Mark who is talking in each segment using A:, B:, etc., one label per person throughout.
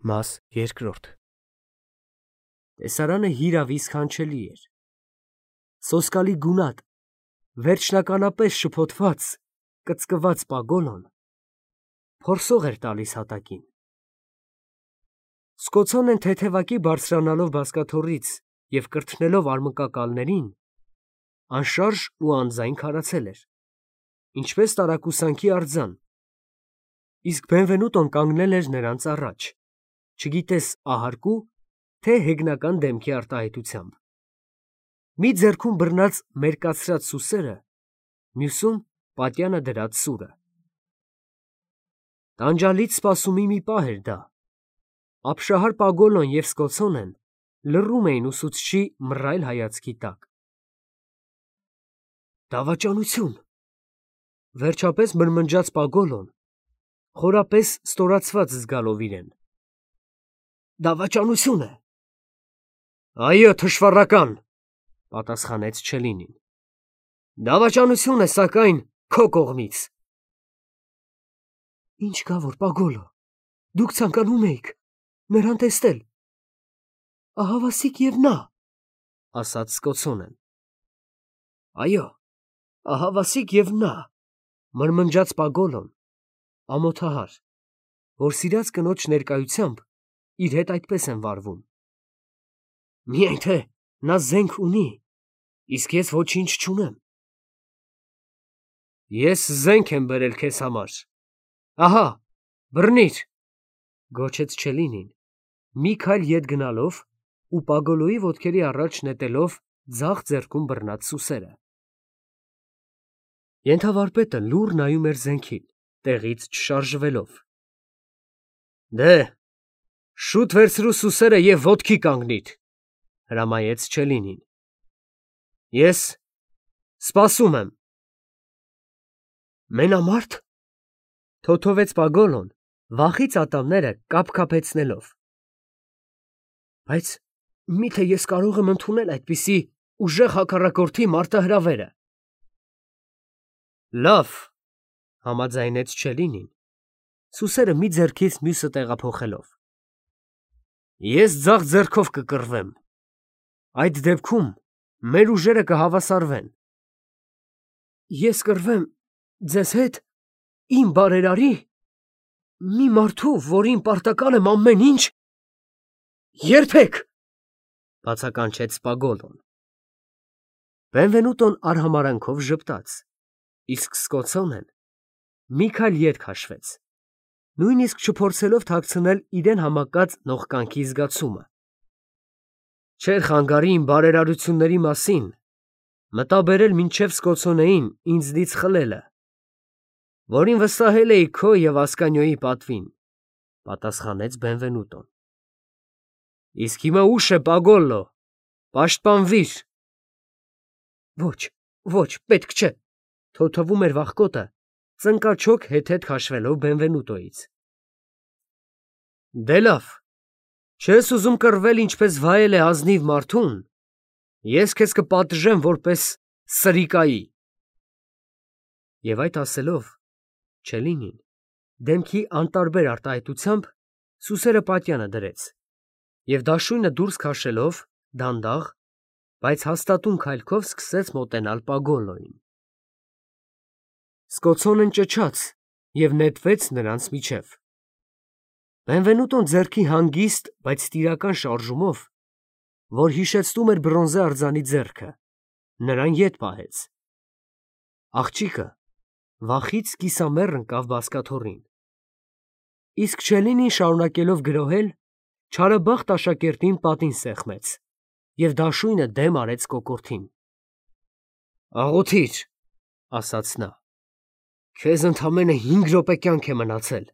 A: Մաս երկրորդ Տեսարանը հիրավի սքանչելի էր։ Սոսկալի գունատ, վերջնականապես շփոթված, կծկված Պագոլոն փորսող էր տալիս հատակին։ Սկոցոնեն թեթևակի բարձրանալով բազկաթոռից և կրթնելով արմկակալներին, անշարժ ու անձայն քարացել էր, ինչպես տարակուսանքի արձան, իսկ Բենվենուտոն կանգնել էր նրանց առաջ, չգիտես ահարկու, թե հեգնական դեմքի արտահայտությամբ։ Մի ձեռքում բռնած մերկացրած սուսերը, մյուսում պատյանը դրած սուրը։ Տանջալից սպասումի մի պահ էր դա։ Ապշահար Պագոլոն և Սկոցոնեն լռում էին ուսուցչի մռայլ հայացքի տակ։ Դավաճանություն, վերջապես մրմնջաց Պագոլոն, խորապես ստորացված զգալով իրեն։ Դավաճանություն է։ Այո, թշվառական, պատասխանեց Չելինին։ Դավաճանություն է, սակայն քո կողմից։ Ինչ կա որ, Պագոլո, դուք ցանկանում էիք նրան տեսնել։ Ահավասիկ և նա, ասաց Սկոցոնեն։ Այո, ահավասիկ և նա, մրմնջաց Պագոլոն, ամոթահար, որ սիրած կնոջ ներկայությամբ իր հետ այդպես են վարվում։ Միայն թե նա զենք ունի, իսկ ես ոչինչ չունեմ։ Ես զենք եմ բերել քեզ համար։ Ահա, բռնիր, գոչեց Չելինին, մի քայլ ետ գնալով ու Պագոլոյի ոտքերի առաջ նետելով ձախ ձեռքում բռնած սուսերը։ Ենթավարպետը լուռ նայում էր զենքին, տեղից չշարժվելով։ Դե, շուտ վերցրու սուսերը և ոտքի կանգնիր, հրամայեց Չելինին։ Ես սպասում եմ։ Մենամարդ, թոթովեց Պագոլոն, վախից ատամները կափկափեցնելով։ Բայց միթե ես կարող եմ ընդունել այդպիսի ուժեղ հակառակորդի մարտահրավերը։ Լավ, համաձայնեց Չելինին, սուսերը մի ձեռքից մյուսը տեղափոխելով։ Ես ձախ ձեռքով կկռվեմ։ Այդ դեպքում մեր ուժերը կհավասարվեն։ Ես կռվեմ ձեզ հետ, իմ բարերարի, մի մարդու, որին պարտական եմ ամեն ինչ։ Երբեք, բացականչեց Պագոլոն։ Բենվենուտոն արհամարհանքով ժպտաց, իսկ Սկոցոնեն մի քայլ ետ քաշվեց, նույնիսկ չփորձելով թաքցնել իրեն համակած նողկանքի զգացումը։ Չէր խանգարի իմ բարերարությունների մասին մտաբերել մինչև Սկոցոնեին ինձնից խլելը, որին վստահել էի քո և Ասկանիոյի պատվին, պատասխանեց Բենվենուտոն։ Իսկ հիմա ուշ է, Պագոլո, պաշտպանվիր։ Ոչ, պետք չէ, թոթվում էր վախկոտը, ծնկաչոք հետ քաշվելով Բենվենուտոյից։ Դե լավ, չես ուզում կռվել, ինչպես վայել է ազնիվ մարդուն, ես քեզ կպատժեմ որպես սրիկայի։ Եվ այդ ասելով, Չելինին, դեմքի անտարբեր արտահայտությամբ սուսերը պատյանը դրեց և դաշույնը դուրս քաշելով, դանդաղ, բայց հաստատուն քայլքով սկսեց մոտենալ Պագոլոյին։ Սկոցոնեն ճչաց և նետվեց նրանց միջև։ Բենվենուտոն ձեռքի հանգիստ, բայց տիրական շարժումով, որ հիշեցնում էր բրոնզե արձանի ձեռքը, նրան ետ պահեց։ Աղջիկը վախից կիսամեռ ընկավ բազկաթոռին։ Իսկ Չելինին շարունակելով գրոհել, չարաբախտ աշակերտին պատին սեղմեց և դաշույնը դեմ արեց կոկորդին։ Աղոթիր, ասաց նա, քեզ ընդամենը 5 րոպե կյանք է մնացել։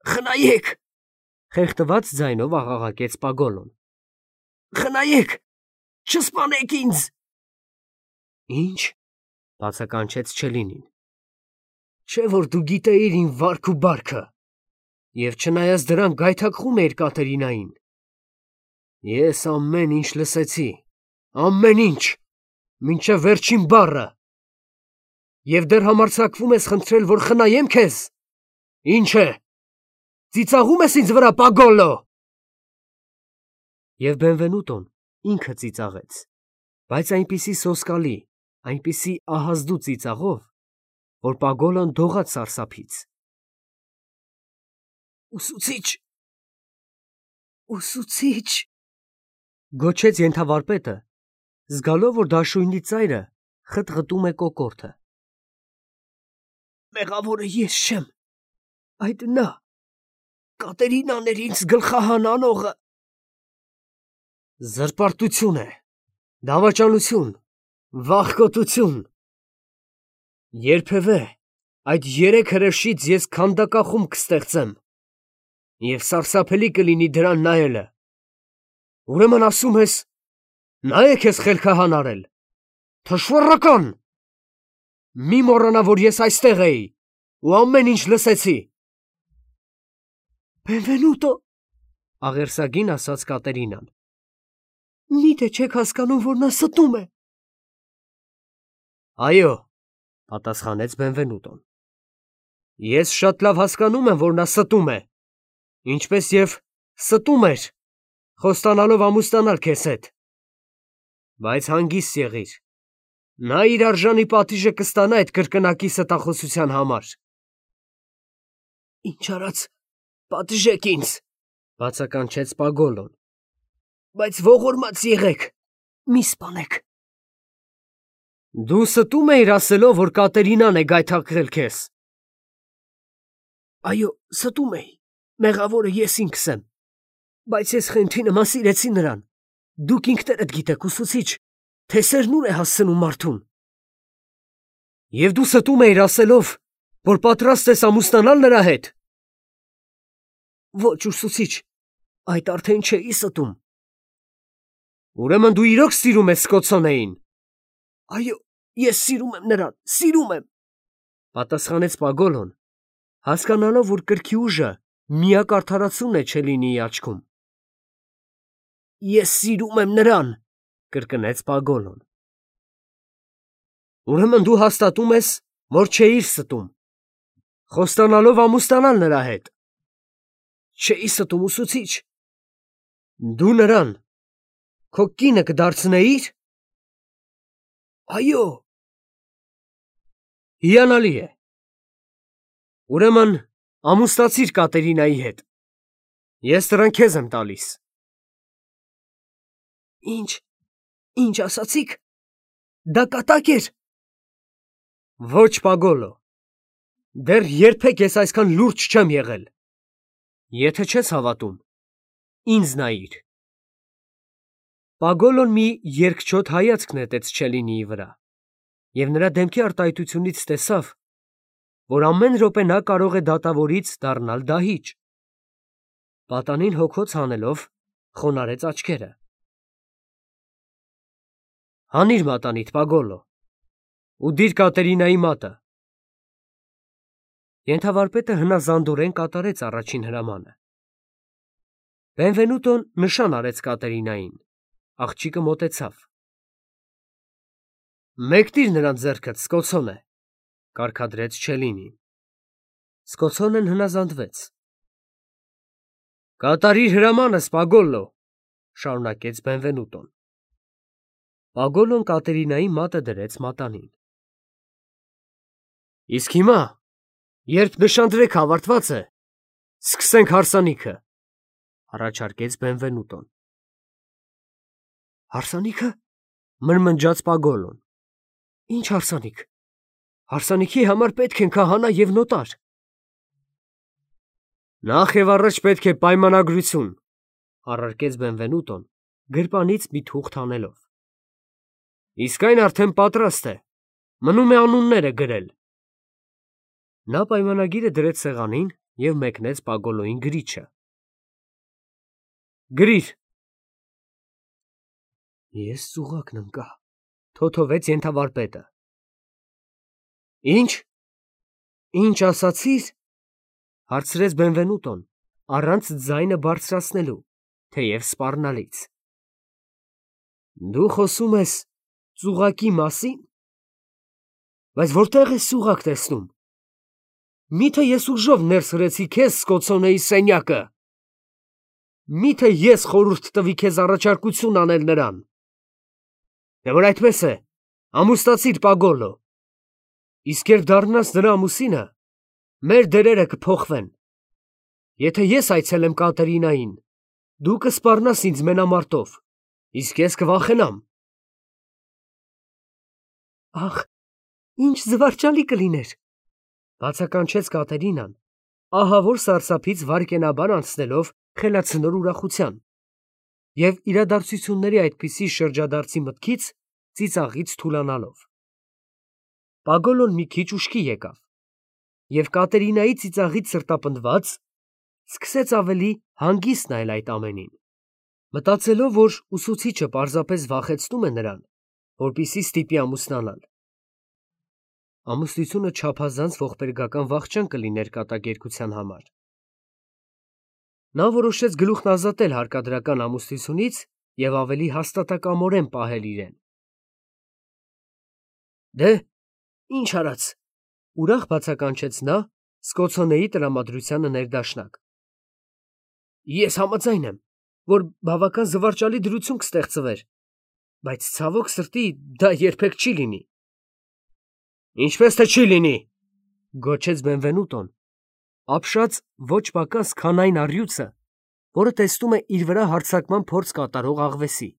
A: Խնայեք, խեղդված ձայնով աղաղակեց Պագոլոն։ Խնայեք, չսպանեք ինձ։ Ինչ, բացականչեց Չելինին։ Չէ որ դու գիտեիր իմ վարք ու բարքը, և չնայած դրան գայթակղում էիր Կատերինային։ Ես ամեն ինչ լսեցի, ամեն ինչ, մինչև վերջին բառը։ Եվ դեռ համարձակվում ես խնդրել, որ խնայեմ քեզ։ Ինչ է, Ծիծաղում ես ինձ վրա, Պագոլո։ Եվ Բենվենուտոն ինքը ծիծաղեց, բայց այնպիսի սոսկալի, այնպիսի ահազդու ծիծաղով, որ Պագոլոն դողաց սարսափից։ Ուսուցիչ, ուսուցիչ, գոչեց ենթավարպետը, զգալով, որ դաշույնի ծայրը խտղտում է կոկորդը։ Մեղավորը ես չեմ, այդ նա, Կատերինան էր ինձ գլխահան անողը։ Զրպարտություն է, դավաճանություն, վախկոտություն։ Երբևէ այդ երեք հրեշից ես քանդակախում կստեղծեմ, և սարսափելի կլինի դրան նայելը։ Ուրեմն ասում ես, նա է քեզ խելքահան արել, թշվառական։ Մի մոռանա, որ ես այստեղ էի ու ամեն ինչ լսեցի։ Բենվենուտո, աղերսագին ասաց Կատերինան, միթե չեք հասկանում, որ նա ստում է։ Այո, պատասխանեց Բենվենուտոն, ես շատ լավ հասկանում եմ, որ նա ստում է, ինչպես և ստում էր, խոստանալով ամուսնանալ քեզ հետ։ Բայց հանգիստ եղիր, նա իր արժանի պատիժը կստանա այդ կրկնակի ստախոսության համար։ Ինչ արած, պատժեք ինձ, բացականչեց Պագոլոն, բայց ողորմած եղեք, մի սպանեք։ Դու ստում էիր ասելով, որ Կատերինան է գայթակղել քեզ։ Այո, ստում էի, մեղավորը ես ինքս եմ, բայց ես խենթի նման սիրեցի նրան։ Դուք ինքներդ գիտեք, ուսուցիչ, թե սերն ուր է հասցնում մարդուն։ Եվ դու ստում էիր ասելով, որ պատրաստ ես ամուսնանալ նրա հետ։ Ոչ, ուսուցիչ, այդ արդեն չէի ստում։ Ուրեմն դու իրոք սիրում ես Սկոցոնեին։ Այո, ես սիրում եմ նրան, սիրում եմ, պատասխանեց Պագոլոն, հասկանալով, որ կրքի ուժը միակ արդարացումն է Չելինիի աչքում։ Ես սիրում եմ նրան, կրկնեց Պագոլոն։ Ուրեմն դու հաստատում ես, որ չէիր ստում, խոստանալով ամուսնանալ նրա հետ։ Չէի ստում, ուսուցիչ։ Դու նրան քո կինը կդարձնեիր։ Այո։ Հիանալի է։ Ուրեմն ամուսնացիր Կատերինայի հետ։ Ես նրան քեզ եմ տալիս։ Ինչ ասացիք։ Դա կատակ էր։ Ոչ, Պագոլո, դեռ երբեք ես այսքան լուրջ չեմ եղել։ Եթե չես հավատում, ինձ նայիր։ Պագոլոն մի երկչոտ հայացք նետեց Չելինիի վրա, և նրա դեմքի արտահայտությունից տեսավ, որ ամեն րոպե նա կարող է դատավորից դառնալ դահիճ։ Պատանին հոգոց հանելով, խոնարհեց աչքերը։ Հանիր մատանիդ, Պագոլո, ու դիր Կատերինայի մատը։ Ենթավարպետը հնազանդորեն կատարեց առաջին հրամանը։ Բենվենուտոն նշան արեց Կատերինային, աղջիկը մոտեցավ։ Մեկնիր նրան ձեռքդ, Սկոցոնե, կարգադրեց Չելինին։ Սկոցոնեն հնազանդվեց։ Կատարիր հրամանս, Պագոլո, շարունակեց Բենվենուտոն։ Պագոլոն Կատերինայի մատը դրեց մատանին։ Իսկ հիմա, երբ նշանдрեք ավարտված է, սկսենք հարսանիքը, առաջարկեց Բենվենուտոն։ Հարսանիքը, մրմնջաց Պագոլոն։ Ինչ հարսանիք։ Հարսանիքի համար պետք են քահանա և նոտար։ Նախ և առաջ պետք է պայմանագրություն, առարկեց Բենվենուտոն, գրպանից մի թուղթ հանելով։ Իսկ այն արդեն պատրաստ է, մնում է անունները գրել։ Նա պայմանագիրը դրեց սեղանին և մեկնեց Պագոլոյին գրիչը։ Գրիր։ Ես ծուղակն ընկա, թոթովեց ենթավարպետը։ Ինչ ասացիր, հարցրեց Բենվենուտոն, առանց ձայնը բարձրացնելու, թեև սպառնալից։ Դու խոսում ես ծուղակի մասին, բայց որտե՞ղ ես ծուղակ տեսնում։ Միթե ես ուժով ներս հրեցի քեզ Սկոցոնեի սենյակը։ Միթե ես խորհուրդ տվի քեզ առաջարկություն անել նրան։ Դե որ այդպես է, ամուսնացիր Պագոլո։ Իսկ երբ դառնաս նրա ամուսինը, մեր դերերը կփոխվեն։ Եթե ես այցելեմ Կատերինային, դու կսպառնաս ինձ մենամարտով, իսկ ես կվախենամ։ Ախ, ինչ զվարճալի կլիներ, բացականչեց Կատերինան, ահավոր սարսափից վայրկենաբար անցնելով խելացնոր ուրախության, և իրադարձությունների այդպիսի շրջադարձի մտքից ծիծաղից թուլանալով։ Պագոլոն մի քիչ ուշքի եկավ, և Կատերինայի ծիծաղից սրտապնդված սկսեց ավելի հանգիստ նայել այդ ամենին, մտածելով, որ ուսուցիչը պարզապես վախեցնում է նրան, որպեսզի ստիպի ամուսնանալ։ Ամուսնությունը չափազանց ողբերգական վախճան կլիներ կատակերգության համար։ Նա որոշեց գլուխն ազատել հարկադրական ամուսնությունից և ավելի հաստատակամորեն պահել իրեն։ Դե, ինչ արած, ուրախ բացականչեց նա Սկոցոնեի տրամադրությանը ներդաշնակ։ Ես համաձայն եմ, որ բավական զվարճալի դրություն կստեղծվեր, բայց ցավոք սրտի դա երբեք չի լինի։ Ինչպես թե չի լինի, գոչեց Բենվենուտոն, ապշած ոչ պակաս քան այն առյուծը, որը տեսնում է իր վրա հարձակման փորձ կատարող աղվեսի։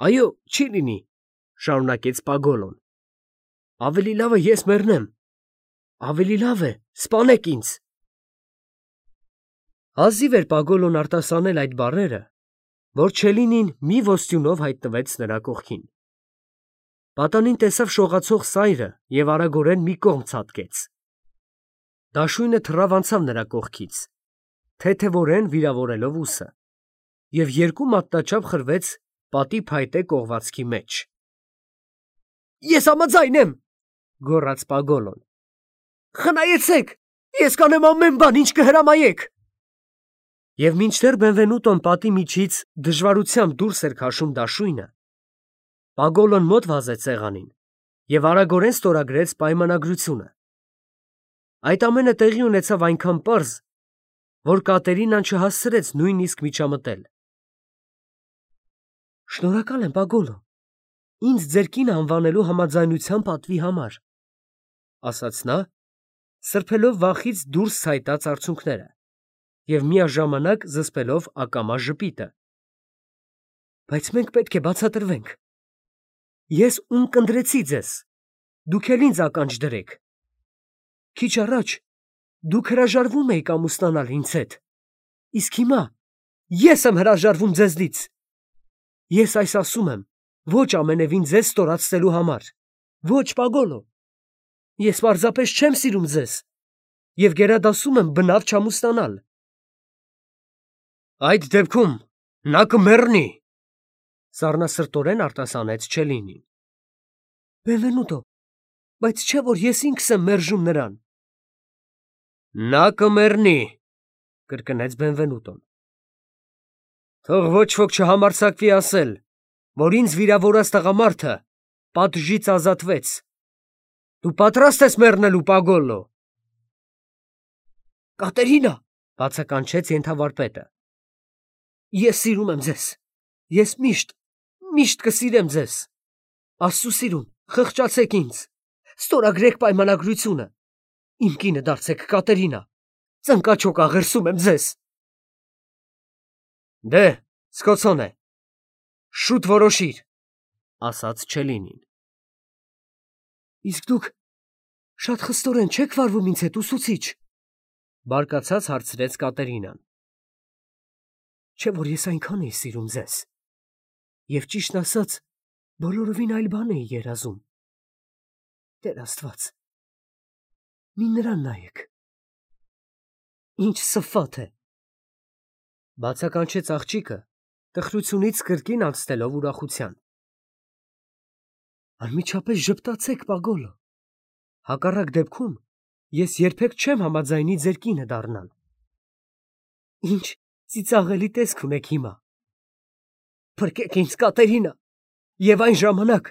A: Այո, չի լինի, շարունակեց Պագոլոն։ Ավելի լավ է ես մեռնեմ։ Ավելի լավ է, սպանեք ինձ։ Հազիվ էր Պագոլոն արտասանել այդ բառերը, որ Չելինին մի ոստյունով հայտնվեց նրա կողքին։ Պատանին տեսավ շողացող սայրը և արագորեն մի կողմ ցատկեց։ Դաշույնը թռավ անցավ նրա կողքից, թեթևորեն վիրավորելով ուսը, և երկու մատնաչափ խրվեց պատի փայտե կողվածքի մեջ։ Ես համաձայն եմ, գոռաց Պագոլոն։ Խնայեցեք, ես կանեմ ամեն բան, ինչ կհրամայեք։ Եվ մինչդեռ Բենվենուտոն պատի միջից դժվարությամբ դուրս էր քաշում դաշույնը, Պագոլոն մոտ վազեց սեղանին և արագորեն ստորագրեց պայմանագրությունը։ Այդ ամենը տեղի ունեցավ այնքան պարզ, որ Կատերինան չհասցրեց նույնիսկ միջամտել։ Շնորհակալ եմ, Պագոլո, ինձ ձեր կինը անվանելու համաձայնության պատվի համար, ասաց նա, սրբելով վախից դուրս ցայտած արցունքները և միաժամանակ զսպելով ակամա ժպիտը։ Բայց մենք պետք է բացատրվենք։ Ես ունկնդրեցի ձեզ, դուք էլ ինձ ականջ դրեք։ Քիչ առաջ դուք հրաժարվում էիք ամուսնանալ ինձ հետ, իսկ հիմա ես եմ հրաժարվում ձեզնից։ Ես այս ասում եմ ոչ ամենևին ձեզ ստորացնելու համար, ոչ, Պագոլո, ես պարզապես չեմ սիրում ձեզ և գերադասում եմ բնավ չամուսնանալ։ Այդ դեպքում նա կմեռնի, սառնասրտորեն արտասանեց Չելինին։ Բենվենուտո, բայց չէ՞ որ ես ինքս եմ մերժում նրան։ Նա կմեռնի, կրկնեց Բենվենուտոն։ Թող ոչ ոք չհամարձակվի ասել, որ ինձ վիրավորած տղամարդը պատժից ազատվեց։ Դու պատրաստ ես մեռնելու, Պագոլո։ Կատերինա, բացականչեց ենթավարպետը։ Ես սիրում եմ ձեզ։ Ես միշտ կսիրեմ ձեզ։ Աստծու սիրուն, խղճացեք ինձ։ Ստորագրեք պայմանագրությունը։ Իմ կինը դարձեք, Կատերինա։ Ծնկաչոք աղերսում եմ ձեզ։ Դե, Սկոցոնե, շուտ որոշիր, ասաց Չելինին։ Իսկ դուք շատ խստորեն չեք վարվում ինձ հետ, ուսուցիչ, բարկացած հարցրեց Կատերինան։ Չէ՞ որ ես այնքան էի սիրում ձեզ, և ճիշտն ասած, բոլորովին այլ բան էի երազում։ Տեր Աստված, մի նրան նայեք։ Ինչ սփատ է, բացականչեց աղջիկը, տխրությունից կրկին անցնելով ուրախության։ Անմիջապես ժպտացեք, Պագոլո։ Հակառակ դեպքում ես երբեք չեմ համաձայնի ձեր կինը դառնալ։ Ինչ ծիծաղելի տեսք ունեք հիմա։ Փրկեք ինձ, Կատերինա, և այն ժամանակ,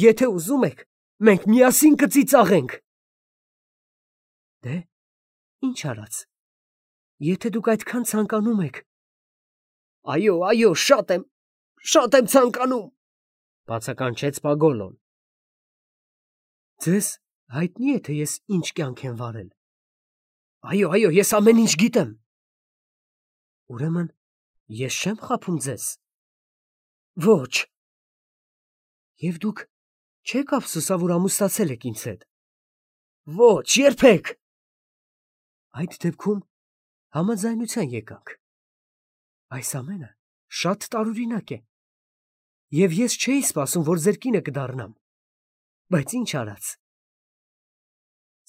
A: եթե ուզում եք, մենք միասին կծիծաղենք։ Դե, ինչ արած։ Եթե դուք այդքան ցանկանում եք։ Այո, շատ եմ ցանկանում, բացականչեց Պագոլոն։ Ձեզ հայտնի է, թե ես ինչ կյանք եմ վարել։ Այո, ես ամեն ինչ գիտեմ։ Ուրեմն ես չեմ խաբում ձեզ։ Ոչ։ Եվ դուք չեք ափսոսա, որ ամուսնացել եք ինձ հետ։ Ոչ, երբեք։ Այդ դեպքում համաձայնության եկանք։ Այս ամենը շատ տարօրինակ է։ Եվ ես չէի սպասում, որ ձեր կինը կդառնամ։ Բայց ինչ արած։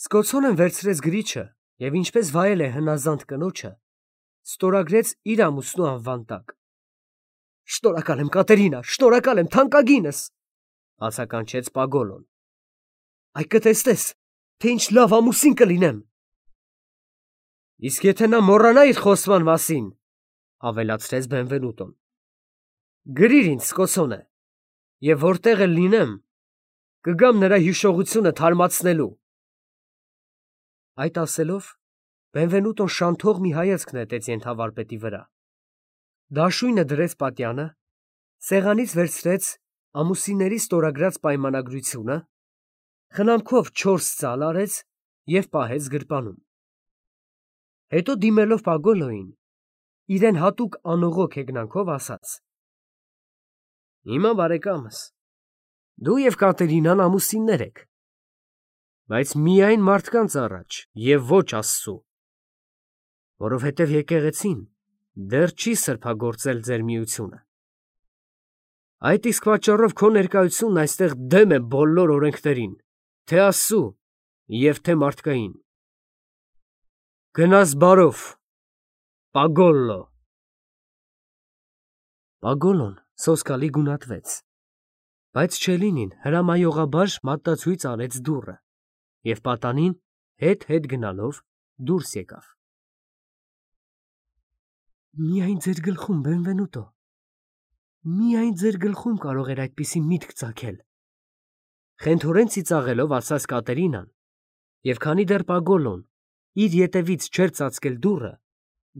A: Սկոցոնեն վերցրեց գրիչը և ինչպես վայել է հնազանդ կնոջը, ստորագրեց իր ամուսնու անվան տակ։ Շնորհակալ եմ, Կատերինա, շնորհակալ եմ, թանկագինս, բացականչեց Պագոլոն։ Այ կտեսնես, թե ինչ լավ ամուսին կլինեմ։ Իսկ եթե նա մոռանա իր խոստման մասին, ավելացրեց Բենվենուտոն, գրիր ինձ Սկոցոնե, և որտեղ էլ լինեմ, կգամ նրա հիշողությունը թարմացնելու։ Այդ ասելով, Բենվենուտոն շանթող մի հայացք նետեց ենթավարպետի վրա։ Դաշույնը դրեց պատյանը, սեղանից վերցրեց ամուսինների ստորագրած պայմանագրությունը, խնամքով 4 ծալ արեց և պահեց գրպանում։ Հետո դիմելով Պագոլոյին, իրեն հատուկ անողոք հեգնանքով ասաց. Հիմա բարեկամս, դու և Կատերինան ամուսիններ եք, բայց միայն մարդկանց առաջ և ոչ Աստծու, որովհետև եկեղեցին դեռ չի սրբագործել ձեր միությունը։ Այդ իսկ պատճառով քո ներկայությունն այստեղ դեմ է բոլոր օրենքներին, թե Աստծու և թե մարդկային։ Գնաս բարով, Պագոլլո։ Պագոլոն սոսկալի գունատվեց, բայց Չելինին հրամայողաբար մատնացույց արեց դուռը և պատանին հետ գնալով դուրս եկավ։ Միայն ձեր գլխում, Բենվենուտո, միայն ձեր գլխում կարող էր այդպիսի միտք ծագել, խենթորեն ծիծաղելով ասաց Կատերինան, և քանի դեռ Պագոլոն իր ետևից չէր ծածկել դուռը,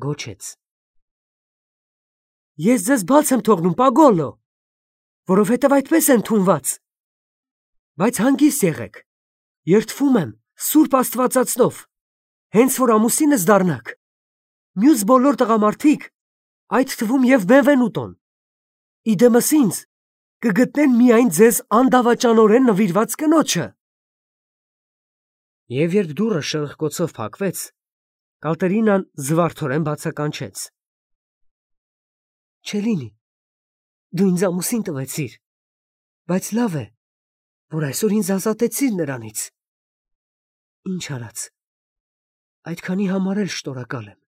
A: գոչեց. Ես ձեզ բաց եմ թողնում, Պագոլո, որովհետև այդպես է ընդունված, բայց հանգիստ եղեք, երդվում եմ Սուրբ Աստվածածնով, հենց որ ամուսինս դառնաք, մյուս բոլոր տղամարդիկ, այդ թվում և Բենվենուտոն, իդեմս ինձ կգտնեն միայն ձեզ անդավաճանորեն նվիրված կնոջը։ Եվ երբ դուռը շրխկոցով փակվեց, Կատերինան զվարթորեն բացականչեց. Չելինի, դու ինձ ամուսին տվեցիր, բայց լավ է, որ այսօր ինձ ազատեցիր նրանից։ Ինչ արած, այդքանի համար էլ շնորհակալ եմ։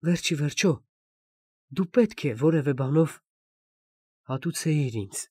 A: Վերջ ի վերջո, դու պետք է որևէ բանով հատուցեիր ինձ։